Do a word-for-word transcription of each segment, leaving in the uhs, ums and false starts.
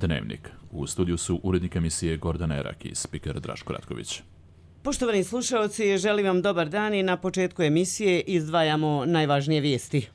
Dnevnik. U studiju su urednik emisije Gordana Erak i spiker Draško Ratković. Poštovani slušalci, želim vam dobar dan i na početku emisije izdvajamo najvažnije vijesti.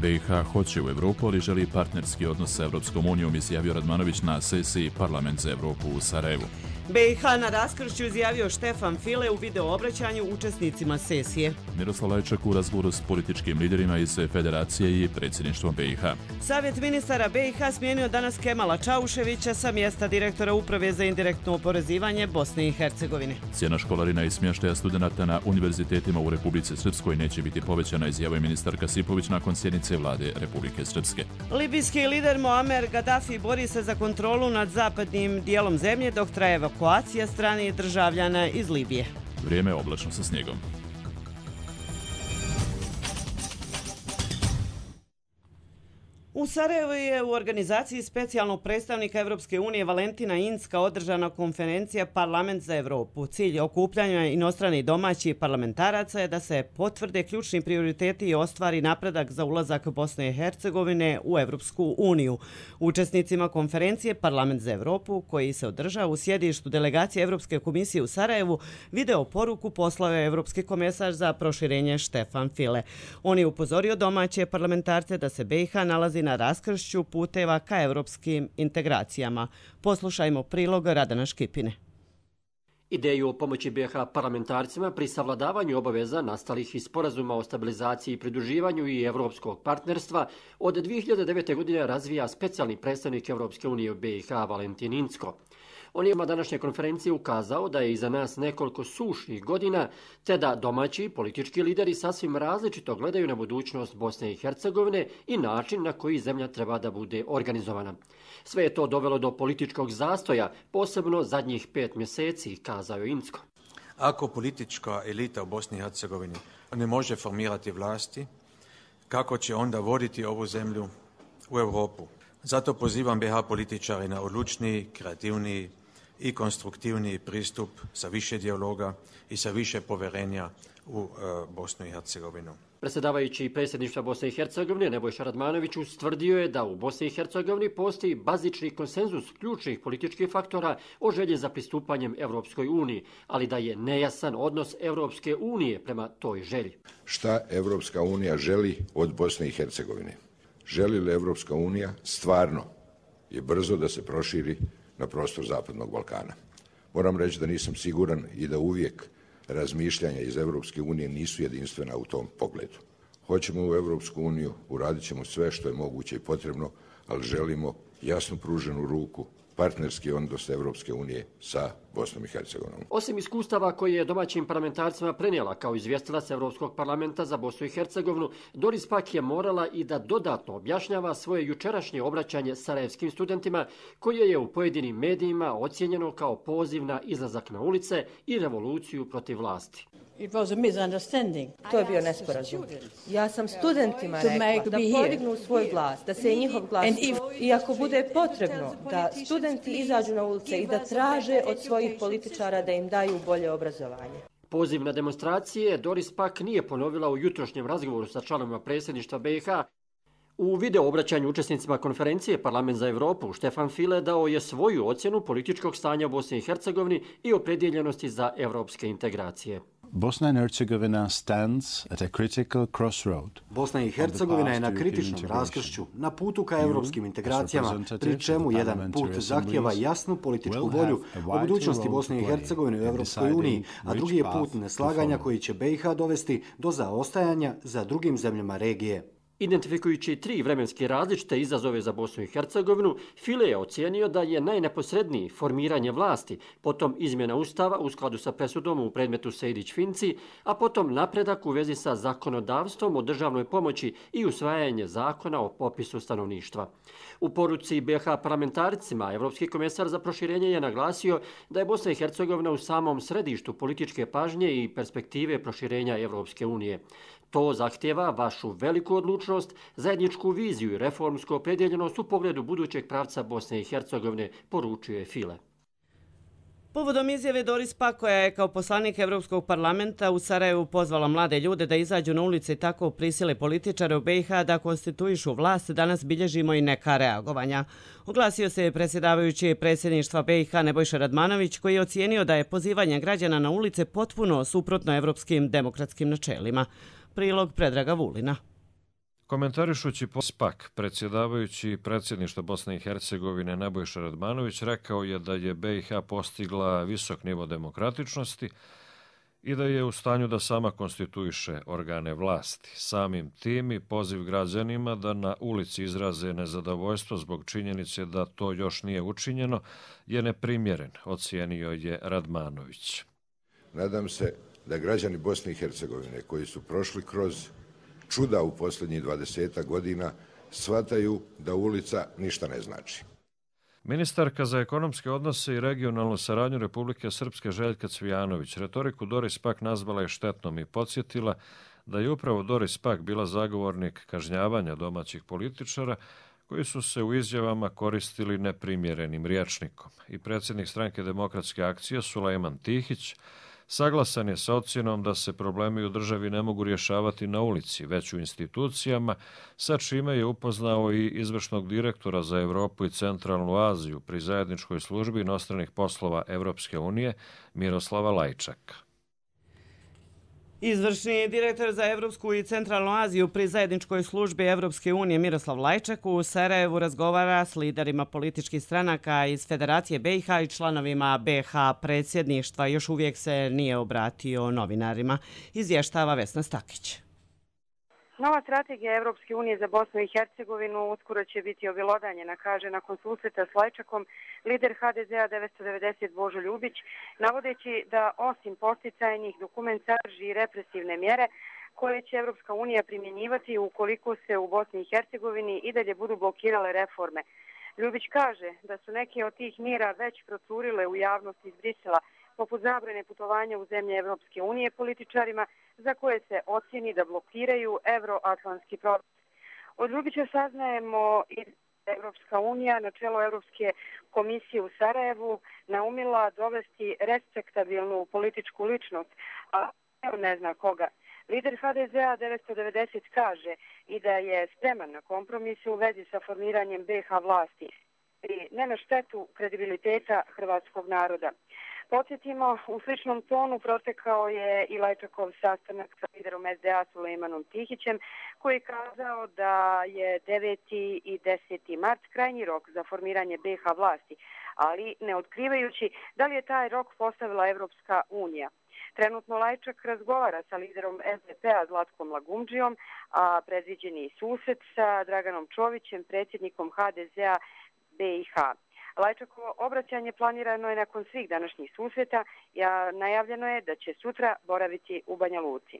B i H hoće u Evropu, ali želi partnerski odnos sa Evropskom unijom, izjavio Radmanović na sesiji Parlament za Evropu u Sarajevu. B i H na raskršću izjavio Štefan File u video obraćanju učesnicima sesije. Miroslav Lajčak u razgovoru s političkim liderima iz Federacije i predsjedništvom B i H. Savjet ministara B i H smijenio danas Kemala Čauševića sa mjesta direktora Uprave za indirektno oporezivanje Bosne i Hercegovine. Cijena školarina i smještaja studenata na univerzitetima u Republici Srpskoj neće biti povećana, izjavio ministar Kasipović nakon sjednice vlade Republike Srpske. Libijski lider Muamer Gaddafi bori se za kontrolu nad zapadnim dijelom zemlje dok traje evakuacija stranih državljana iz Libije. Vrijeme je oblačno sa snijegom. U Sarajevu je u organizaciji specijalnog predstavnika Evropske unije Valentina Incka održana konferencija Parlament za Evropu. Cilj okupljanja inostranih i domaćih parlamentaraca je da se potvrde ključni prioriteti i ostvari napredak za ulazak Bosne i Hercegovine u Evropsku uniju. Učesnicima konferencije Parlament za Evropu, koji se održava u sjedištu delegacije Evropske komisije u Sarajevu, video poruku poslao je Evropski komesar za proširenje Štefan File. On je upozorio domaće parlamentarce da se B i H nalazi na raskršću puteva ka evropskim integracijama. Poslušajmo prilog Radana Škipine. Ideju o pomoći B i H parlamentarcima pri savladavanju obaveza nastalih iz sporazuma o stabilizaciji i pridruživanju i evropskog partnerstva od dvije hiljade devete. godine razvija specijalni predstavnik Evropske unije u B i H Valentin Incko. On je na današnjoj konferenciji ukazao da je iza nas nekoliko sušnih godina, te da domaći politički lideri sasvim različito gledaju na budućnost Bosne i Hercegovine i način na koji zemlja treba da bude organizovana. Sve je to dovelo do političkog zastoja, posebno zadnjih pet mjeseci, kazao je Incko. Ako politička elita u Bosni i Hercegovini ne može formirati vlasti, kako će onda voditi ovu zemlju u Europu? Zato pozivam B i H političari na odlučniji, kreativniji i konstruktivniji pristup sa više dijaloga i sa više povjerenja u uh, Bosnu i Hercegovinu. Predsjedavajući predsjedništva Bosne i Hercegovine Nebojša Radmanović ustvrdio je da u Bosni i Hercegovini postoji bazični konsenzus ključnih političkih faktora o želji za pristupanjem Evropskoj uniji, ali da je nejasan odnos Evropske unije prema toj želji. Šta Evropska unija želi od Bosne i Hercegovine? Želi li Evropska unija stvarno i brzo da se proširi na prostor Zapadnog Balkana? Moram reći da nisam siguran i da uvijek razmišljanja iz Evropske unije nisu jedinstvena u tom pogledu. Hoćemo u Evropsku uniju, uradit ćemo sve što je moguće i potrebno, ali želimo jasno pruženu ruku, partnerski odnos Evropske unije sa Bosnom i Hercegovinom. Osim iskustava koje je domaćim parlamentarcima prenijela kao izvjestilac Evropskog parlamenta za Bosnu i Hercegovinu, Doris Pack je morala i da dodatno objašnjava svoje jučerašnje obraćanje sarajevskim studentima, koje je u pojedinim medijima ocijenjeno kao poziv na izlazak na ulice i revoluciju protiv vlasti. It was a misunderstanding. To je bio nesporazum. Ja sam studentima rekla da podignu svoj glas, da se njihov glas if... i ako bude potrebno da studenti izađu na ulice i da traže od svojih političara da im daju bolje obrazovanje. Poziv na demonstracije Doris Pack nije ponovila u jutrošnjem razgovoru sa članovima predsjedništva B i H. U video obraćanju učesnicima konferencije Parlament za Evropu, Štefan File dao je svoju ocjenu političkog stanja u Bosni i Hercegovini i opredjeljenosti za evropske integracije. Bosna and Herzegovina stands at a critical crossroad. Bosna i Hercegovina je na kritičnom raskršću, na putu ka evropskim integracijama, pri čemu jedan put zahtjeva jasnu političku volju o budućnosti Bosne i Hercegovine u Evropskoj uniji, a drugi je put neslaganja koji će B i H dovesti do zaostajanja za drugim zemljama regije. Identifikujući tri vremenske različite izazove za Bosnu i Hercegovinu, File je ocijenio da je najneposredniji formiranje vlasti, potom izmjena ustava u skladu sa presudom u predmetu Sejdić-Finci, a potom napredak u vezi sa zakonodavstvom o državnoj pomoći i usvajanje zakona o popisu stanovništva. U poruci B i H parlamentarcima, Evropski komesar za proširenje je naglasio da je Bosna i Hercegovina u samom središtu političke pažnje i perspektive proširenja Evropske unije. To zahtjeva vašu veliku odlučnost, zajedničku viziju i reformsku opredjeljenost u pogledu budućeg pravca Bosne i Hercegovine, poručuje File. Povodom izjave Doris Pack, koja je kao poslanik Evropskog parlamenta u Sarajevu pozvala mlade ljude da izađu na ulice i tako prisile političare u B i H da konstituišu vlast, danas bilježimo i neka reagovanja. Oglasio se predsjedavajući predsjedništva B i H Nebojša Radmanović, koji je ocijenio da je pozivanje građana na ulice potpuno suprotno evropskim demokratskim načelima. Prilog Predraga Vulina. Komentarišući pospak, predsjedavajući predsjedništva Bosne i Hercegovine Nebojša Radmanović rekao je da je B i H postigla visok nivo demokratičnosti i da je u stanju da sama konstituiše organe vlasti. Samim tim i poziv građanima da na ulici izraze nezadovoljstvo zbog činjenice da to još nije učinjeno je neprimjeren, ocijenio je Radmanović. Nadam se da građani Bosne i Hercegovine koji su prošli kroz čuda u posljednjih dvadesetak godina shvataju da ulica ništa ne znači. Ministarka za ekonomske odnose i regionalnu saradnju Republike Srpske Željka Cvijanović retoriku Doris Pack nazvala je štetnom i podsjetila da je upravo Doris Pack bila zagovornik kažnjavanja domaćih političara koji su se u izjavama koristili neprimjerenim rječnikom. I predsjednik Stranke demokratske akcije Sulejman Tihić saglasan je sa ocjenom da se problemi u državi ne mogu rješavati na ulici, već u institucijama, sa čime je upoznao i izvršnog direktora za Europu i Centralnu Aziju pri zajedničkoj službi inostranih poslova Evropske unije Miroslava Lajčaka. Izvršni direktor za Evropsku i Centralnu Aziju pri zajedničkoj službi Evropske unije Miroslav Lajčak u Sarajevu razgovara s liderima političkih stranaka iz Federacije B i H i članovima B i H predsjedništva. Još uvijek se nije obratio novinarima, izvještava Vesna Stakić. Nova strategija Evropske unije za Bosnu i Hercegovinu uskoro će biti objelodanjena, kaže nakon susreta s Lajčakom lider H D Z a devetsto devedeset Božo Ljubić, navodeći da osim posticajnih dokument sadrži represivne mjere koje će Evropska unija primjenjivati ukoliko se u Bosni i Hercegovini i dalje budu blokirale reforme. Ljubić kaže da su neke od tih mjera već procurile u javnosti iz Brisela, poput zabrane putovanja u zemlje Evropske unije političarima za koje se ocjeni da blokiraju evroatlantski proces. Od Ljubića saznajemo i Evropska unija na čelo Evropske komisije u Sarajevu naumila dovesti respektabilnu političku ličnost, a ne zna koga. Lider H D Z a devetsto devedeset kaže i da je spreman na kompromise u vezi sa formiranjem B i H vlasti i ne na štetu kredibiliteta hrvatskog naroda. Podsjetimo, u sličnom tonu protekao je i Lajčakov sastanak sa liderom S D A Sulejmanom Tihićem, koji je kazao da je deveti i deseti mart krajnji rok za formiranje B i H vlasti, ali ne otkrivajući da li je taj rok postavila Evropska unija. Trenutno Lajčak razgovara sa liderom S D P a Zlatkom Lagumdžijom, a predviđeni susret sa Draganom Čovićem, predsjednikom H D Z a B i H. Lajčakovo obraćanje planirano je nakon svih današnjih susreta, a najavljeno je da će sutra boraviti u Banja Luci.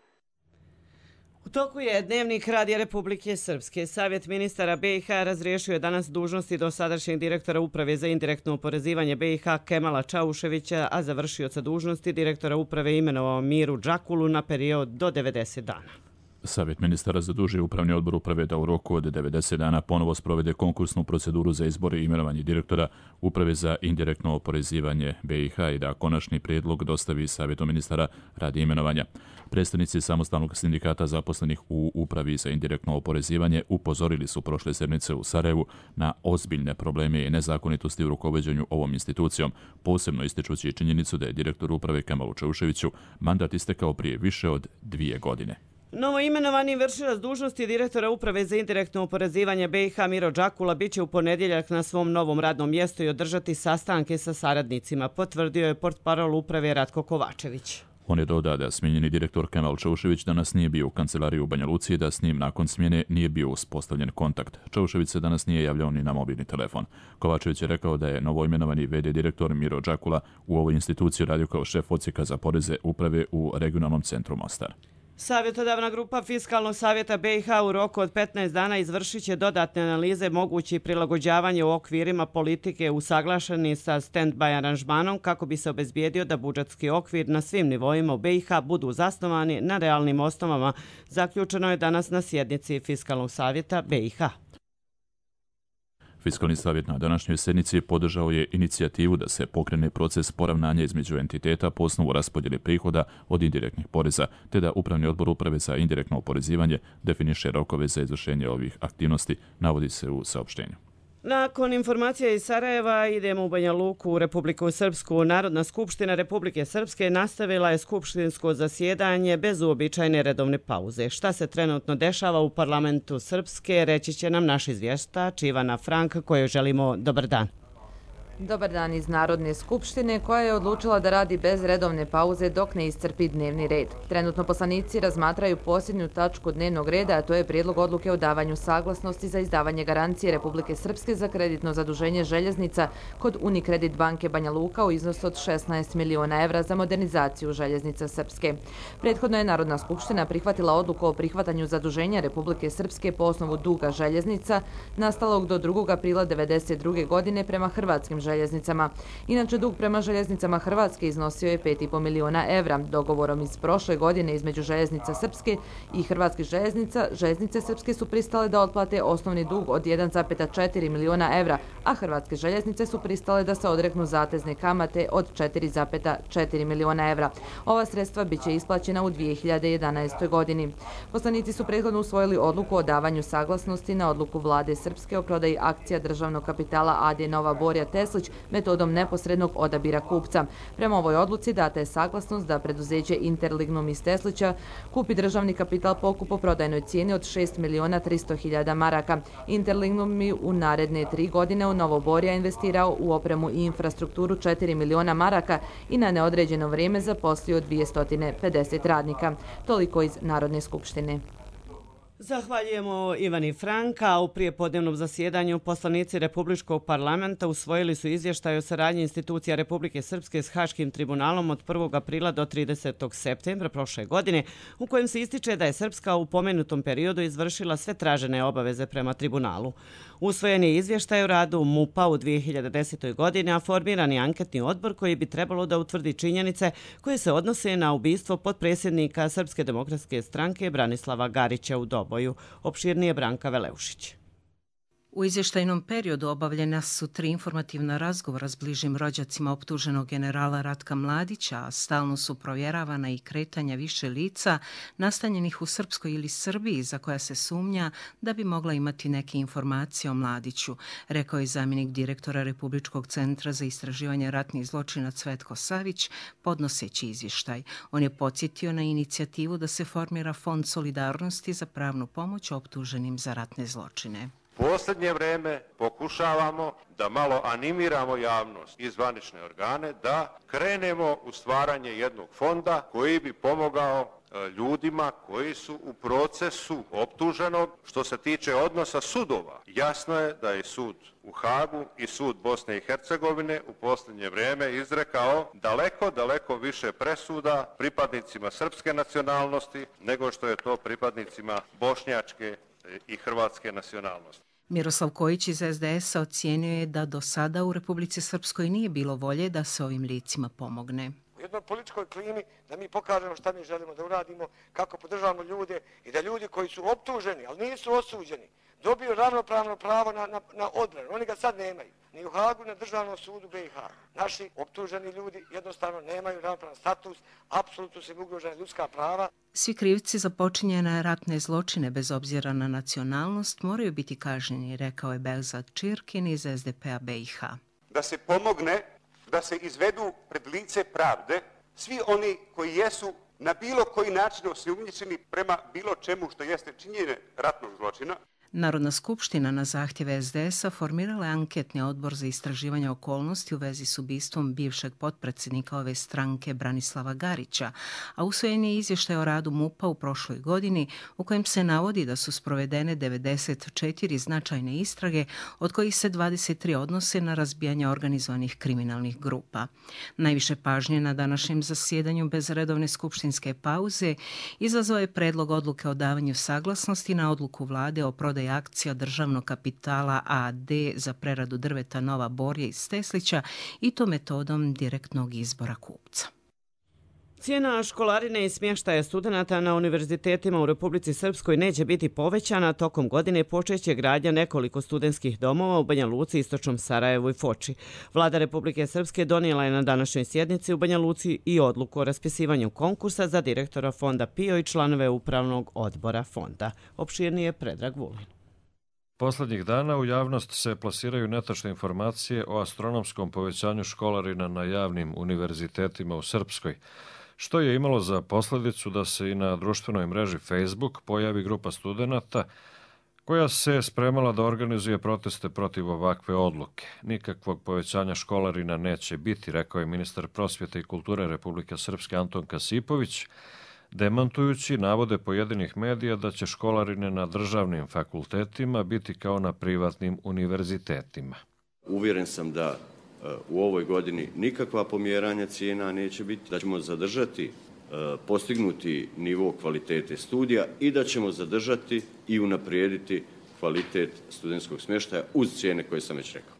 U toku je dnevnik Radija Republike Srpske. Savjet ministara B i H razriješio je danas dužnosti dosadašnjeg direktora Uprave za indirektno oporezivanje B i H Kemala Čauševića, a završioca dužnosti direktora Uprave imenovao Miru Džakulu na period do devedeset dana. Savjet ministara zadužio Upravni odbor Uprave da u roku od devedeset dana ponovo sprovede konkursnu proceduru za izbor i imenovanje direktora Uprave za indirektno oporezivanje B i H i da konačni prijedlog dostavi Savjetu ministara radi imenovanja. Predstavnici samostalnog sindikata zaposlenih u Upravi za indirektno oporezivanje upozorili su prošle sedmice u Sarajevu na ozbiljne probleme i nezakonitosti u rukovođenju ovom institucijom, posebno ističući činjenicu da je direktor Uprave Kemalu Čauševiću mandat istekao prije više od dvije godine. Novo imenovani vršilac dužnosti direktora Uprave za indirektno oporezivanje B i H Miro Džakula biće u ponedjeljak na svom novom radnom mjestu i održati sastanke sa saradnicima, potvrdio je portparol Uprave Ratko Kovačević. On je dodao da smijenjeni direktor Kemal Čaušević danas nije bio u kancelariji u Banja Luci i da s njim nakon smjene nije bio uspostavljen kontakt. Čaušević se danas nije javljao ni na mobilni telefon. Kovačević je rekao da je novoimenovani v d direktor Miro Džakula u ovoj instituciji radio kao šef odsjeka za poreze Uprave u regionalnom centru Mostar. Savjetodavna grupa Fiskalnog savjeta B i H u roku od petnaest dana izvršit će dodatne analize mogući prilagođavanje u okvirima politike usaglašeni sa stand-by aranžmanom kako bi se obezbijedio da budžetski okvir na svim nivoima u B i H budu zasnovani na realnim osnovama, zaključeno je danas na sjednici Fiskalnog savjeta B i H. Fiskalni savjet na današnjoj sjednici podržao je inicijativu da se pokrene proces poravnanja između entiteta po osnovu raspodjele prihoda od indirektnih poreza, te da Upravni odbor Uprave za indirektno oporezivanje definiše rokove za izvršenje ovih aktivnosti, navodi se u saopštenju. Nakon informacija iz Sarajeva idemo u Banja Luku u Republiku Srpsku. Narodna skupština Republike Srpske nastavila je skupštinsko zasjedanje bez uobičajene redovne pauze. Šta se trenutno dešava u parlamentu Srpske, reći će nam naš izvještač Ivana Frank, kojoj želimo dobar dan. Dobar dan iz Narodne skupštine koja je odlučila da radi bez redovne pauze dok ne iscrpi dnevni red. Trenutno poslanici razmatraju posljednju tačku dnevnog reda, a to je prijedlog odluke o davanju saglasnosti za izdavanje garancije Republike Srpske za kreditno zaduženje željeznica kod Unikredit banke Banja Luka u iznosu od šesnaest miliona evra za modernizaciju željeznica Srpske. Prethodno je Narodna skupština prihvatila odluku o prihvatanju zaduženja Republike Srpske po osnovu duga željeznica nastalog do drugog aprila devedeset druge godine prema hrvatskim željeznicama. Inače, dug prema željeznicama Hrvatske iznosio je pet i po miliona evra. Dogovorom iz prošle godine između željeznica Srpske i hrvatskih željeznica, željeznice Srpske su pristale da otplate osnovni dug od jedan zarez četiri miliona evra, a hrvatske željeznice su pristale da se odreknu zatezne kamate od četiri zarez četiri miliona evra. Ova sredstva biće isplaćena u dvije hiljade jedanaestoj godini. Poslanici su prethodno usvojili odluku o davanju saglasnosti na odluku vlade Srpske o prodaji akcija državnog kapitala A D Nova Borja Teslić metodom neposrednog odabira kupca. Prema ovoj odluci data je saglasnost da preduzeće Interlignum iz Teslića kupi državni kapital po kupoprodajnoj cijeni od šest miliona tristo hiljada maraka. Interlignum mi u naredne tri godine u Novo Borja investirao u opremu i infrastrukturu četiri miliona maraka i na neodređeno vrijeme zaposlio dvjesto pedeset radnika. Toliko iz Narodne skupštine. Zahvaljujemo Ivani Franka. U prijepodnevnom zasjedanju poslanici Republičkog parlamenta usvojili su izvještaj o saradnji institucija Republike Srpske s Haškim tribunalom od prvog aprila do tridesetog septembra prošle godine, u kojem se ističe da je Srpska u pomenutom periodu izvršila sve tražene obaveze prema tribunalu. Usvojen je izvještaj o radu MUP-a u dvije hiljade desetoj. godini, a formiran je anketni odbor koji bi trebalo da utvrdi činjenice koje se odnose na ubistvo potpredsjednika Srpske demokratske stranke Branislava Garića u Doboju. Opširnije Branka Veleušić. U izvještajnom periodu obavljena su tri informativna razgovora s bližim rođacima optuženog generala Ratka Mladića, a stalno su provjeravana i kretanja više lica nastanjenih u Srpskoj ili Srbiji za koja se sumnja da bi mogla imati neke informacije o Mladiću, rekao je zamjenik direktora Republičkog centra za istraživanje ratnih zločina Cvetko Savić, podnoseći izvještaj. On je podsjetio na inicijativu da se formira Fond solidarnosti za pravnu pomoć optuženim za ratne zločine. Posljednje vreme pokušavamo da malo animiramo javnost i zvanične organe da krenemo u stvaranje jednog fonda koji bi pomogao ljudima koji su u procesu optuženog. Što se tiče odnosa sudova, jasno je da je sud u Hagu i sud Bosne i Hercegovine u posljednje vrijeme izrekao daleko, daleko više presuda pripadnicima srpske nacionalnosti nego što je to pripadnicima bošnjačke i hrvatske nacionalnosti. Miroslav Kojić iz es de es a ocijenio je da do sada u Republici Srpskoj nije bilo volje da se ovim licima pomogne. U jednoj političkoj klimi da mi pokažemo šta mi želimo da uradimo, kako podržavamo ljude i da ljudi koji su optuženi, ali nisu osuđeni, dobiju ravnopravno pravo na, na, na odbranu. Oni ga sad nemaju. Ni u Hagu, na državnom sudu be i ha. Naši optuženi ljudi jednostavno nemaju ravnopravan status, apsolutno su im ugrožena ljudska prava. Svi krivci za počinjene ratne zločine bez obzira na nacionalnost moraju biti kažnjeni, rekao je Behzad Čirkin iz es de pe a be i ha. Da se pomogne, da se izvedu pred lice pravde svi oni koji jesu na bilo koji način osumnjičeni prema bilo čemu što jeste činjenje ratnog zločina. Narodna skupština na zahtjev es de es a formirala je anketni odbor za istraživanje okolnosti u vezi s ubistvom bivšeg potpredsjednika ove stranke Branislava Garića, a usvojen je izvještaj o radu MUP-a u prošloj godini u kojem se navodi da su sprovedene devedeset četiri značajne istrage, od kojih se dvadeset tri odnose na razbijanje organizovanih kriminalnih grupa. Najviše pažnje na današnjem zasjedanju bez redovne skupštinske pauze izazvao je predlog odluke o davanju saglasnosti na odluku vlade o prodaji akcija državnog kapitala A D za preradu drveta Nova Borja iz Teslića i to metodom direktnog izbora kupca. Cijena školarine i smještaja studenata na univerzitetima u Republici Srpskoj neće biti povećana. Tokom godine počeće gradnja nekoliko studentskih domova u Banja Luci, Istočnom Sarajevu i Foči. Vlada Republike Srpske donijela je na današnjoj sjednici u Banja Luci i odluku o raspisivanju konkursa za direktora fonda P I O i članove upravnog odbora fonda. Opširnije Predrag Vulin. Poslednjih dana u javnost se plasiraju netačne informacije o astronomskom povećanju školarina na javnim univerzitetima u Srpskoj, što je imalo za posljedicu da se i na društvenoj mreži Facebook pojavi grupa studenata koja se spremala da organizuje proteste protiv ovakve odluke. Nikakvog povećanja školarina neće biti, rekao je ministar prosvjete i kulture Republike Srpske Anton Kasipović, demantujući navode pojedinih medija da će školarine na državnim fakultetima biti kao na privatnim univerzitetima. Uvjeren sam da u ovoj godini nikakva pomjeranja cijena neće biti, da ćemo zadržati postignuti nivo kvalitete studija i da ćemo zadržati i unaprijediti kvalitet studentskog smještaja uz cijene koje sam već rekao.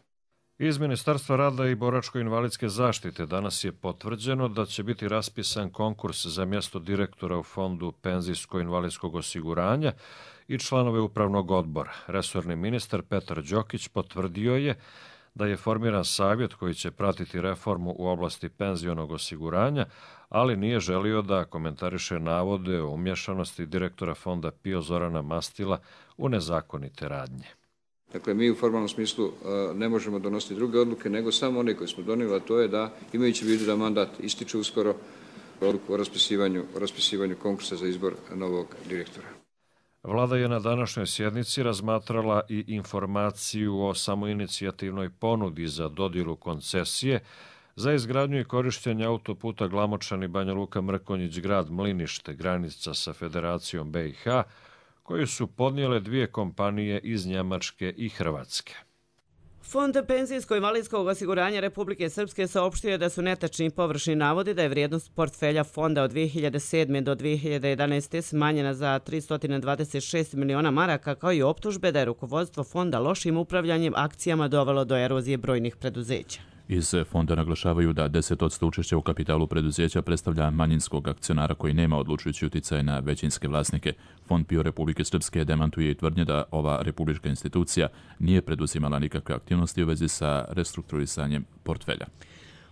Iz Ministarstva rada i boračko-invalidske zaštite danas je potvrđeno da će biti raspisan konkurs za mjesto direktora u Fondu penzijsko-invalidskog osiguranja i članove upravnog odbora. Resorni ministar Petar Đokić potvrdio je da je formiran savjet koji će pratiti reformu u oblasti penzionog osiguranja, ali nije želio da komentariše navode o umješanosti direktora fonda P I O Zorana Mastila u nezakonite radnje. Dakle, mi u formalnom smislu ne možemo donositi druge odluke, nego samo one koje smo donijeli, a to je da, imajući u vidu da mandat ističe uskoro, odluku o raspisivanju, o raspisivanju konkursa za izbor novog direktora. Vlada je na današnjoj sjednici razmatrala i informaciju o samoinicijativnoj ponudi za dodjelu koncesije za izgradnju i korištenje autoputa Glamočani Banja Luka Mrkonjić grad Mlinište, granica sa Federacijom B i H, koju su podnijele dvije kompanije iz Njemačke i Hrvatske. Fond penzijsko-invalidskog osiguranja Republike Srpske saopštio je da su netačni površni navodi da je vrijednost portfelja fonda od dvije hiljade sedme do dvije hiljade jedanaeste. smanjena za tristo dvadeset šest miliona maraka, kao i optužbe da je rukovodstvo fonda lošim upravljanjem akcijama dovelo do erozije brojnih preduzeća. Iz fonda naglašavaju da deset posto učešća u kapitalu preduzeća predstavlja manjinskog akcionara koji nema odlučujući uticaj na većinske vlasnike. Fond P I O Republike Srpske demantuje i tvrdnje da ova republička institucija nije preduzimala nikakve aktivnosti u vezi sa restrukturisanjem portfelja.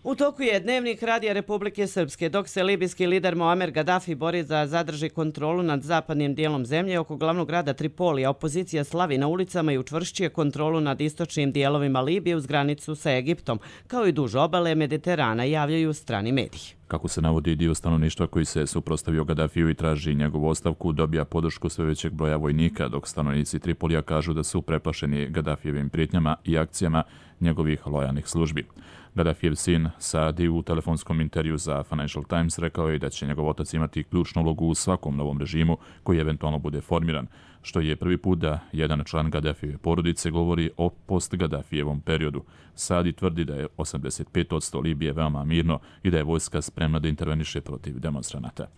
U toku je dnevnik Radija Republike Srpske, dok se libijski lider Muamer Gaddafi bori da zadrži kontrolu nad zapadnim dijelom zemlje oko glavnog grada Tripolija. Opozicija slavi na ulicama i učvršćuje kontrolu nad istočnim dijelovima Libije uz granicu sa Egiptom, kao i duž obale Mediterana, javljaju strani mediji. Kako se navodi, dio stanovništva koji se suprotstavio Gaddafiju i traži njegovu ostavku dobija podršku sve većeg broja vojnika, dok stanovnici Tripolija kažu da su preplašeni Gaddafijevim prijetnjama i akcijama njegovih lojalnih službi. Gaddafijev sin Saadi u telefonskom intervju za Financial Times rekao je da će njegov otac imati ključnu ulogu u svakom novom režimu koji eventualno bude formiran, što je prvi put da jedan član Gaddafijeve porodice govori o post-Gaddafijevom periodu. Saadi tvrdi da je osamdeset pet posto Libije veoma mirno i da je vojska spremna da interveniše protiv demonstranata.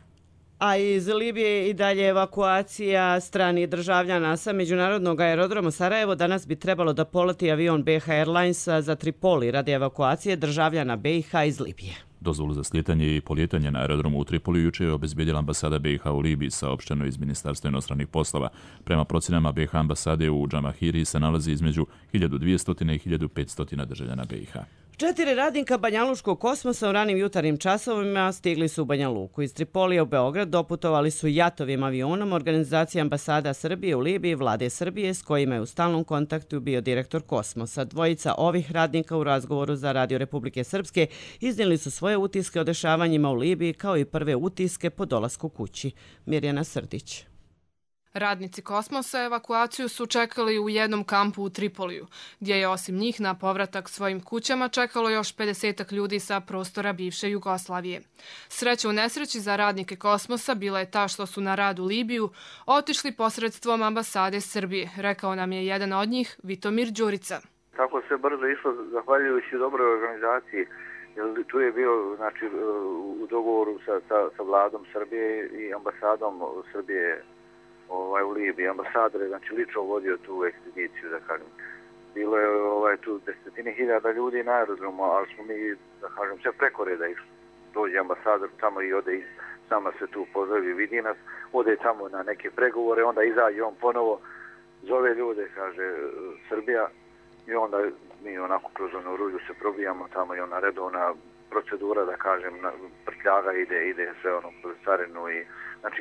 A iz Libije i dalje evakuacija stranih državljana sa međunarodnog aerodroma Sarajevo. Danas bi trebalo da poleti avion B H Airlinesa za Tripoli radi evakuacije državljana B i H iz Libije. Dozvolu za slijetanje i polijetanje na aerodromu u Tripoli juče je obezbedila ambasada B i H u Libiji, saopšteno iz Ministarstva inostranih poslova. Prema procjenama B i H ambasade u Džamahiri se nalazi između hiljadu dvjesto i hiljadu petsto državljana B i H. Četiri radnika Banjaluškog kosmosa u ranim jutarnjim časovima stigli su u Banja Luku. Iz Tripolija u Beograd doputovali su jatovim avionom organizacije ambasada Srbije u Libiji, vlade Srbije, s kojima je u stalnom kontaktu bio direktor Kosmosa. Dvojica ovih radnika u razgovoru za Radio Republike Srpske iznijeli su svoje utiske o dešavanjima u Libiji, kao i prve utiske po dolasku kući. Mirjana Srdić. Radnici Kosmosa evakuaciju su čekali u jednom kampu u Tripoliju, gdje je osim njih na povratak svojim kućama čekalo još pedesetak ljudi sa prostora bivše Jugoslavije. Sreća u nesreći za radnike Kosmosa bila je ta što su na rad u Libiju otišli posredstvom ambasade Srbije, rekao nam je jedan od njih, Vitomir Đurica. Tako se brzo išlo zahvaljujući dobroj organizaciji. Tu je bio znači, u dogovoru sa, sa, sa vladom Srbije i ambasadom Srbije ovaj, u Libiji. Ambasador je znači, lično vodio tu ekspediciju, da kažem. Bilo je ovaj, tu desetine hiljada ljudi na aerodromu, ali smo mi, da kažem, sve preko reda išli. dođe ambasador tamo i ode iz, sama se tu pozdravi, vidi nas, ode tamo na neke pregovore, onda izađe on ponovo, zove ljude, kaže Srbija, i onda mi onako kroz onu rulju se probijamo tamo i ona redovna procedura, da kažem, prtljaga ide, ide sve ono kroz carinu i znači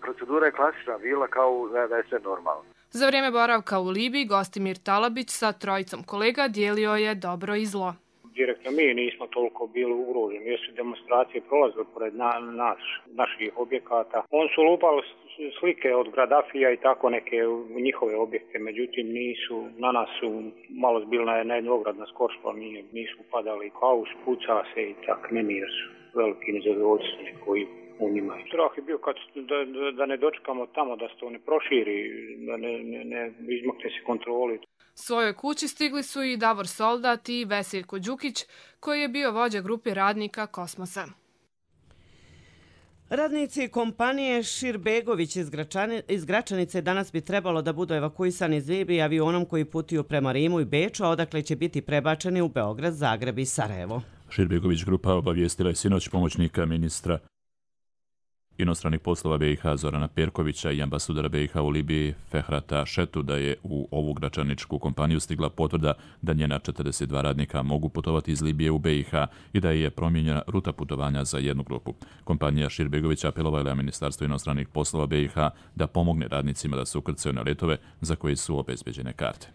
procedura je klasična bila kao da je sve normalno. Za vrijeme boravka u Libiji Gostimir Talabić sa trojicom kolega dijelio je dobro i zlo. Direktno mi nismo toliko bili ugroženi, jer su demonstracije prolazile pored na, nas, naših objekata. On su lupali slike od Gaddafija i tako neke njihove objekte, međutim nisu, na nas su malo zbili na, na jednu ogradna skoršla, nije, nisu padali kao spuca se i tak, nemir su veliki nezadovoljstveni koji u njima. Strah je bio kad, da, da ne dočekamo tamo, da se to ne proširi, da ne, ne, ne izmakne se kontroli. Svojoj kući stigli su i Davor Soldat i Veseljko Đukić, koji je bio vođa grupe radnika Kosmosa. Radnici kompanije Širbegović iz, Gračani, iz Gračanice danas bi trebalo da budu evakuisani iz Libije avionom koji putuju prema Rimu i Beču, a odakle će biti prebačeni u Beograd, Zagreb i Sarajevo. Širbegović grupa obavijestila je sinoć pomoćnika ministra inostranih poslova B i H Zorana Perkovića i ambasadora B i H u Libiji Fehrata Šetu da je u ovu gračaničku kompaniju stigla potvrda da njena četrdeset dva radnika mogu putovati iz Libije u B i H i da je promijenjena ruta putovanja za jednu grupu. Kompanija Širbegović apelovala je Ministarstvo inostranih poslova B i H da pomogne radnicima da se ukrcaju na letove za koje su obezbeđene karte.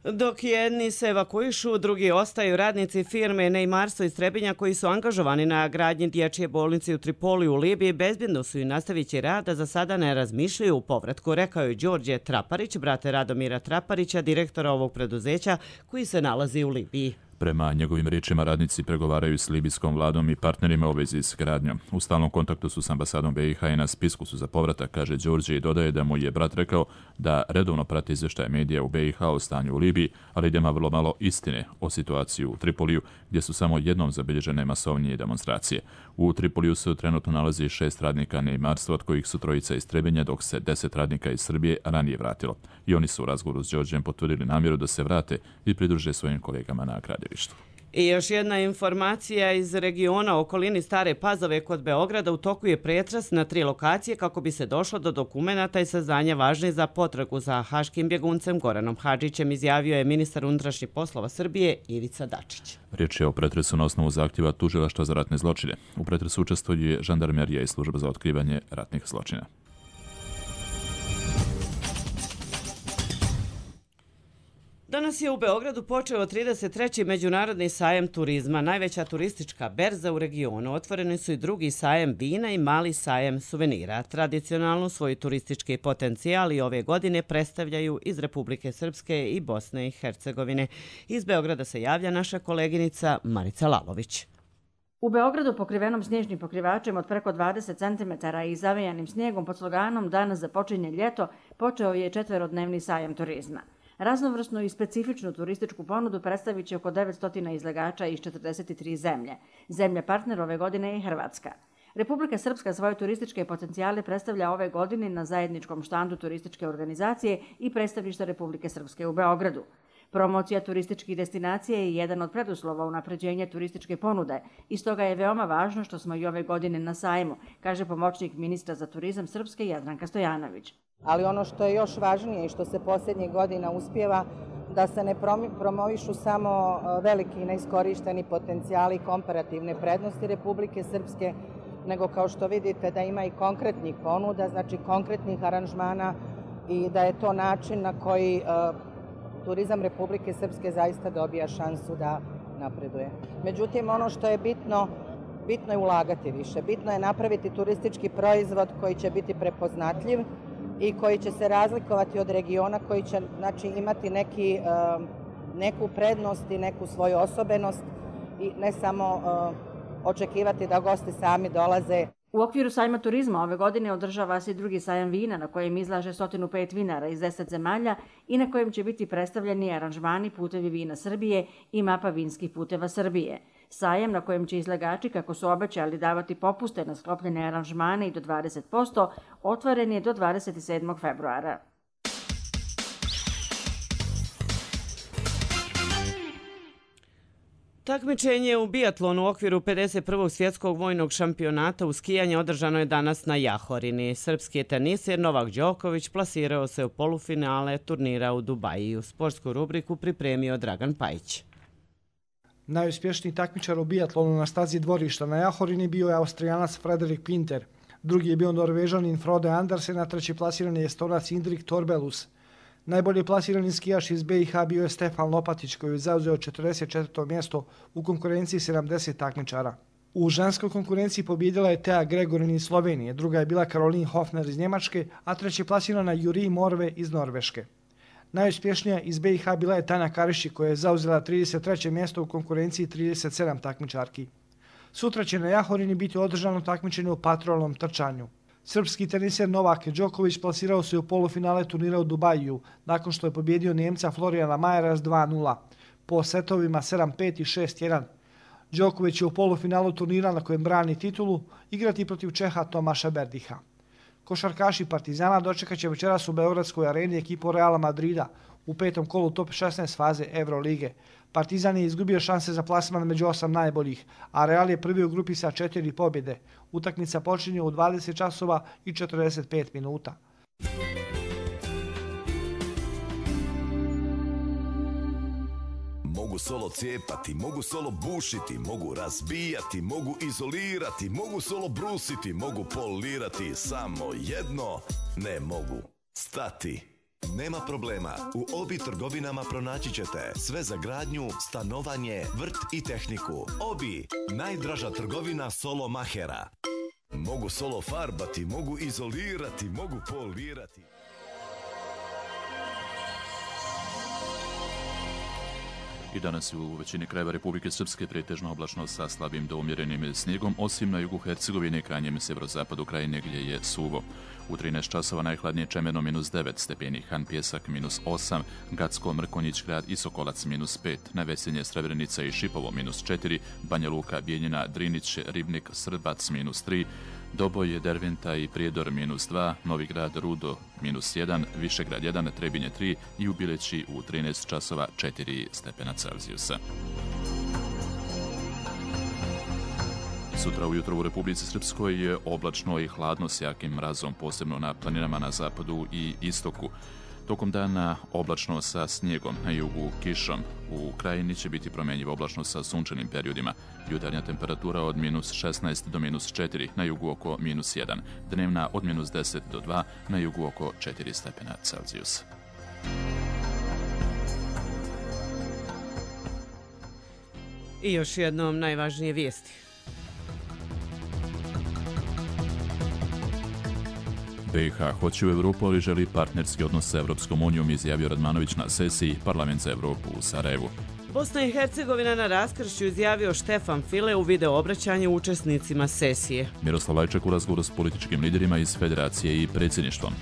Dok jedni se evakuišu, drugi ostaju. Radnici firme Neymarstvo iz Trebinja koji su angažovani na gradnji dječje bolnice u Tripoliju u Libiji bezbjedno su i nastavit će rad, a za sada ne razmišljaju u povratku, rekao je Đorđe Traparić, brate Radomira Traparića, direktora ovog preduzeća koji se nalazi u Libiji. Prema njegovim riječima, radnici pregovaraju s libijskom vladom i partnerima u vezi s gradnjom. U stalnom kontaktu su s ambasadom B i H i na spisku su za povratak, kaže Đorđe i dodaje da mu je brat rekao da redovno prati izvještaje medija u B i H o stanju u Libiji, ali da ima vrlo malo istine o situaciji u Tripoliju, gdje su samo jednom zabilježene masovnije demonstracije. U Tripoliju se trenutno nalazi šest radnika Neymarstva, od kojih su trojica iz Trebinja, dok se deset radnika iz Srbije ranije vratilo. I oni su u razgovoru s Đorđem potvrdili namjeru da se vrate i pridruže svojim kolegama na gradilištu. I još jedna informacija iz regiona u okolini Stare Pazove kod Beograda. U toku je pretres na tri lokacije kako bi se došlo do dokumenata i saznanja važnih za potragu za haškim bjeguncem Goranom Hadžićem, izjavio je ministar unutrašnjih poslova Srbije Ivica Dačić. Riječ je o pretresu na osnovu zahtjeva Tužilaštva za ratne zločine. U pretresu učestvuje žandarmerija i služba za otkrivanje ratnih zločina. Danas je u Beogradu počeo trideset treći Međunarodni sajam turizma, najveća turistička berza u regionu. Otvoreni su i drugi sajam vina i mali sajam suvenira. Tradicionalno svoj turistički potencijal i ove godine predstavljaju iz Republike Srpske i Bosne i Hercegovine. Iz Beograda se javlja naša koleginica Marica Lalović. U Beogradu pokrivenom snježnim pokrivačem od preko dvadeset centimetara i zavejanim snijegom pod sloganom Danas započinje ljeto počeo je četverodnevni sajam turizma. Raznovrsnu i specifičnu turističku ponudu predstavit će oko devetsto izlagača iz četrdeset tri zemlje. Zemlja partner ove godine je Hrvatska. Republika Srpska svoje turističke potencijale predstavlja ove godine na zajedničkom štandu turističke organizacije i predstavništva Republike Srpske u Beogradu. Promocija turističkih destinacija je jedan od preduslova unapređenja turističke ponude i stoga je veoma važno što smo i ove godine na sajmu, kaže pomoćnik ministra za turizam Srpske Jadranka Stojanović. Ali ono što je još važnije i što se posljednjih godina uspjeva, da se ne promovišu samo veliki neiskorišteni potencijali i komparativne prednosti Republike Srpske, nego kao što vidite da ima i konkretnih ponuda, znači konkretnih aranžmana i da je to način na koji turizam Republike Srpske zaista dobija šansu da napreduje. Međutim, ono što je bitno, bitno je ulagati više. Bitno je napraviti turistički proizvod koji će biti prepoznatljiv i koji će se razlikovati od regiona, koji će znači, imati neki, neku prednost i neku svoju osobenost i ne samo očekivati da gosti sami dolaze. U okviru sajma turizma ove godine održava se i drugi sajam vina na kojem izlaže sto pet vinara iz deset zemalja i na kojem će biti predstavljeni aranžmani Putevi vina Srbije i mapa vinskih puteva Srbije. Sajam na kojem će izlagači, kako su obećali, davati popuste na sklopljene aranžmane i do dvadeset posto, otvoren je do dvadeset sedmog februara. Takmičenje u biatlonu u okviru pedeset prvog svjetskog vojnog šampionata u skijanje održano je danas na Jahorini. Srpski teniser Novak Đoković plasirao se u polufinale turnira u Dubaju. Sportsku rubriku pripremio Dragan Pajić. Najuspješniji takmičar u biatlonu na stazi dvorišta na Jahorini bio je Austrijanac Frederik Pinter. Drugi je bio Norvežanin Frode Andersen, a treći plasirani je Estonac Indrik Torbelus. Najbolji plasirani skijaš iz B i H bio je Stefan Lopatić, koji je zauzeo četrdeset četvrto mjesto u konkurenciji sedamdeset takmičara. U ženskoj konkurenciji pobjedila je Tea Gregorin iz Slovenije, druga je bila Caroline Hofner iz Njemačke, a treći plasirana Juri Morve iz Norveške. Najuspješnija iz B i H bila je Tanja Kariši, koja je zauzela trideset treće mjesto u konkurenciji trideset sedam takmičarki. Sutra će na Jahorini biti održano takmičenje u patrolnom trčanju. Srpski teniser Novak Đoković plasirao se u polufinale turnira u Dubaju, nakon što je pobjedio Njemca Florijana Majera s dva nula, po setovima sedam pet i šest jedan. Đoković je u polufinalu turnira na kojem brani titulu igrati protiv Čeha Tomaša Berdiha. Košarkaši Partizana dočekat će večeras u Beogradskoj areni ekipu Reala Madrida u petom kolu top šesnaest faze Eurolige. Partizan je izgubio šanse za plasman među osam najboljih, a Real je prvi u grupi sa četiri pobjede. Utakmica počinje u dvadeset časova i četrdeset pet minuta. Mogu solo cijepati, mogu solo bušiti, mogu razbijati, mogu izolirati, mogu solo brusiti, mogu polirati, samo jedno ne mogu stati. Nema problema, u Obi trgovinama pronaći ćete sve za gradnju, stanovanje, vrt i tehniku. Obi, najdraža trgovina solo mahera. Mogu solo farbati, mogu izolirati, mogu polirati. I danas u većini krajeva Republike Srpske pretežno oblačno sa slabim do umjerenim snijegom, osim na jugu Hercegovine i krajnjem severozapadu krajine gdje je suvo. U trinaest časova najhladnije Čemeno minus devet stepeni, Han Pjesak minus osam, Gacko, Mrkonjić grad i Sokolac minus pet, na Vesenje, Srebrenica i Šipovo minus četiri, Banja Luka, Bijeljina, Drinić, Ribnik, Srbac minus tri, Doboj, Derventa i Prijedor minus dva, Novi grad, Rudo minus jedan, Višegrad jedan, Trebinje tri i u Bileći u trinaest časova četiri stepena Celzijusa. Sutra ujutro u Republici Srpskoj je oblačno i hladno s jakim mrazom, posebno na planinama na zapadu i istoku. Tokom dana oblačno sa snijegom, na jugu kišom. U krajini će biti promjenjivo oblačno sa sunčanim periodima. Jutarnja temperatura od minus šesnaest do minus četiri, na jugu oko minus jedan. Dnevna od minus deset do dva, na jugu oko četiri stepena Celzijusa. I još jednom najvažnije vijesti. B i H hoće u Evropu, ali želi partnerski odnos sa Evropskom unijom, izjavio Radmanović na sesiji Parlament za Evropu u Sarajevu. Bosna i Hercegovina na raskršću, izjavio Štefan File u video obraćanju učesnicima sesije. Miroslav Lajčak u razgovoru s političkim liderima iz Federacije i predsjedništvom.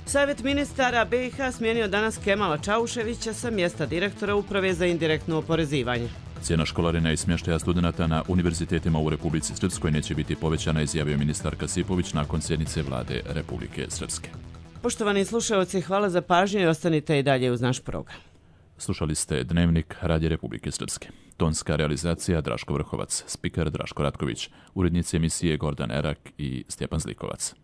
Savjet ministara B i H smijenio danas Kemala Čauševića sa mjesta direktora Uprave za indirektno oporezivanje. Cijena školarina i smještaja studenata na univerzitetima u Republici Srpskoj neće biti povećana, izjavio ministar Kasipović nakon sjednice vlade Republike Srpske. Poštovani slušalci, hvala za pažnju i ostanite i dalje uz naš program. Slušali ste Dnevnik Radija Republike Srpske. Tonska realizacija Draško Vrhovac, spiker Draško Ratković, urednici emisije Gordan Erak i Stjepan Zlikovac.